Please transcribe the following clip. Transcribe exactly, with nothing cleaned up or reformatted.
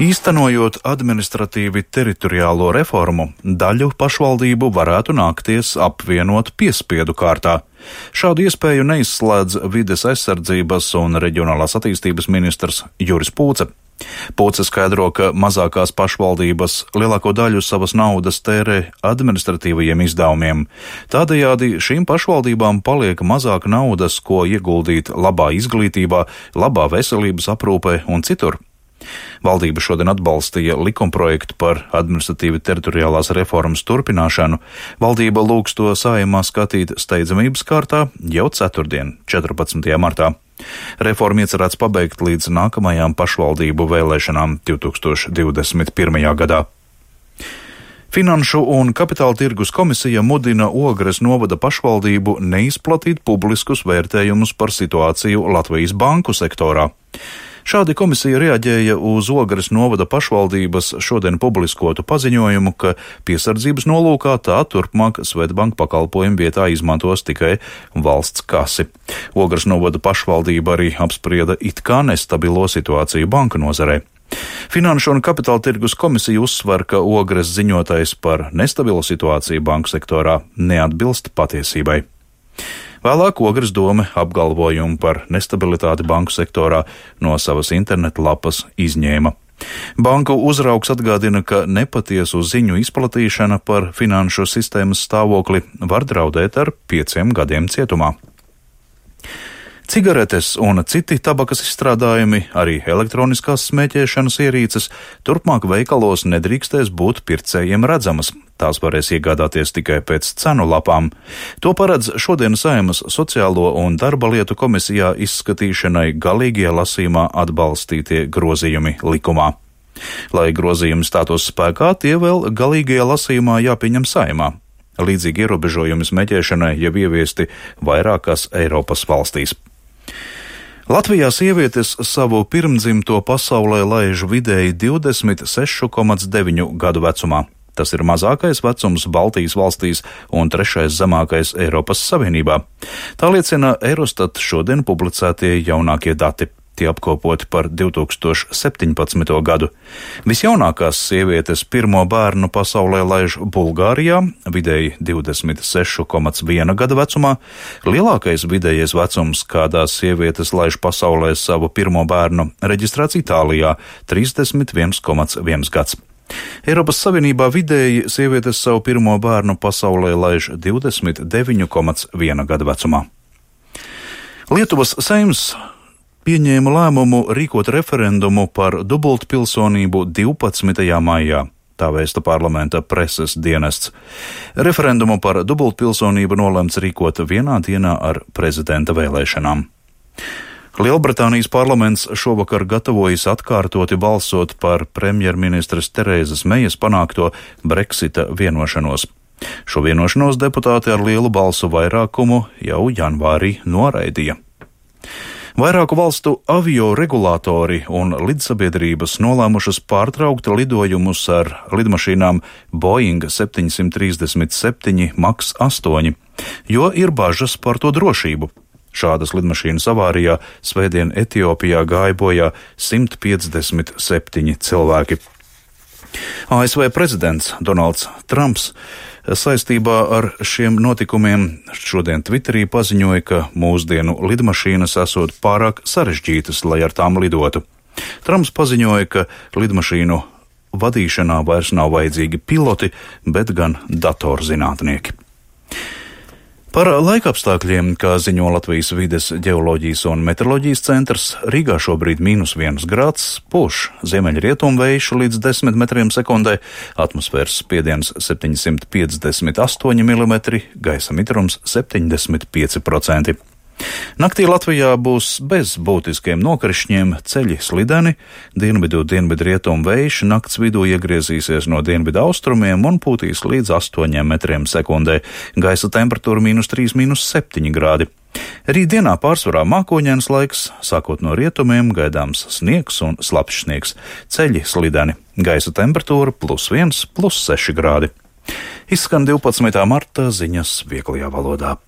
Īstenojot administratīvi teritoriālo reformu, daļu pašvaldību varētu nākties apvienot piespiedu kārtā. Šādu iespēju neizslēdz vides aizsardzības un reģionālās attīstības ministrs Juris Pūce. Pūce skaidro, ka mazākās pašvaldības lielāko daļu savas naudas tērē administratīvajiem izdevumiem. Tādējādi šīm pašvaldībām paliek mazāk naudas, ko ieguldīt labā izglītībā, labā veselības aprūpē un citur. Valdība šodien atbalstīja likumprojektu par administratīvi teritoriālās reformas turpināšanu. Valdība lūgs to Saeimā skatīt steidzamības kārtā jau ceturtdien, četrpadsmitajā martā. Reformu iecerēts pabeigt līdz nākamajām pašvaldību vēlēšanām divtūkstoš divdesmit pirmajā gadā. Finanšu un kapitāla tirgus komisija mudina Ogres novada pašvaldību neizplatīt publiskus vērtējumus par situāciju Latvijas banku sektorā. Šādi komisija reaģēja uz Ogres novada pašvaldības šodien publiskotu paziņojumu, ka piesardzības nolūkā tā turpmāk Svedbank pakalpojumu vietā izmantos tikai valsts kasi. Ogres novada pašvaldība arī apsprieda it kā nestabilo situāciju banka nozarē. Finanšu un kapitāla tirgus komisija uzsver, ka Ogres ziņotais par nestabilu situāciju banku sektorā neatbilst patiesībai. Vēlāk Ogres dome apgalvojumu par nestabilitāti banku sektorā no savas interneta lapas izņēma. Banku uzraugs atgādina, ka nepatiesu ziņu izplatīšana par finanšu sistēmas stāvokli var draudēt ar pieciem gadiem cietumā. Cigaretes un citi tabakas izstrādājumi, arī elektroniskās smēķēšanas ierīces, turpmāk veikalos nedrīkstēs būt pircējiem redzamas. Tās varēs iegādāties tikai pēc cenu lapām. To paredz šodien Saeimas sociālo un darba lietu komisijā izskatīšanai galīgajā lasījumā atbalstītie grozījumi likumā. Lai grozījumi stātos spēkā, tie vēl galīgajā lasījumā jāpieņem Saeimā. Līdzīgi ierobežojumi smēķēšanai jau ieviesti vairākās Eiropas valstīs. Latvijā sievietes savu pirmdzimto pasaulē laiž vidēji divdesmit seši komats deviņi gadu vecumā. Tas ir mazākais vecums Baltijas valstīs un trešais zemākais Eiropas Savienībā. Tā liecina Eurostat šodien publicētie jaunākie dati. Tie apkopoti par divtūkstoš septiņpadsmito gadu. Visjaunākās sievietes pirmo bērnu pasaulē laiž Bulgārijā, vidēji divdesmit seši komats viena gada vecumā. Lielākais vidējais vecums, kādā sievietes laiž pasaulē savu pirmo bērnu, reģistrēts Itālijā - trīsdesmit viens komats viens gads. Eiropas Savienībā vidēji sievietes savu pirmo bērnu pasaulē laiž divdesmit deviņi komats viena gada vecumā. Lietuvas Seims pieņēma lēmumu rīkot referendumu par dubultpilsonību divpadsmitajā maijā, tā vēsta parlamenta preses dienests. Referendumu par dubultpilsonību nolemts rīkot vienā dienā ar prezidenta vēlēšanām. Lielbritānijas parlaments šovakar gatavojas atkārtoti balsot par premjerministres Terēzas Mejas panākto Brexita vienošanos. Šo vienošanos deputāti ar lielu balsu vairākumu jau janvārī noraidīja. Vairāku valstu avio regulātori un lidsabiedrības nolēmušas pārtraukt lidojumus ar lidmašīnām Boeing septiņsimt trīsdesmit septiņi maks astoņi, jo ir bažas par to drošību. Šādas lidmašīnas avārijā svētdien Etiopijā gāja bojā simt piecdesmit septiņi cilvēki. A S V prezidents Donalds Trumps saistībā ar šiem notikumiem šodien Twitterī paziņoja, ka mūsdienu lidmašīnas esot pārāk sarežģītas, lai ar tām lidotu. Trumps paziņoja, ka lidmašīnu vadīšanā vairs nav vajadzīgi piloti, bet gan datorzinātnieki. Par laikapstākļiem, kā ziņo Latvijas vides ģeoloģijas un meteoroloģijas centrs, Rīgā šobrīd mīnus viens grāds, pūš ziemeļrietumu vējš līdz desmit metriem sekundē, atmosfēras spiediens septiņsimt piecdesmit astoņi milimetri, gaisa mitrums septiņdesmit pieci procenti. Naktī Latvijā būs bez būtiskiem nokrišņiem, ceļi slideni, dienvidu dienvidrietumu vējš nakts vidū iegriezīsies no dienvidu austrumiem un pūtīs līdz astoņiem metriem sekundē, gaisa temperatūra mīnus trīs, mīnus septiņi grādi. Rītdienā pārsvarā mākoņains laiks, sākot no rietumiem gaidāms sniegs un slapjš sniegs, ceļi slideni, gaisa temperatūra plus viens, plus seši grādi. Izskan divpadsmitā marta ziņas vieglajā valodā.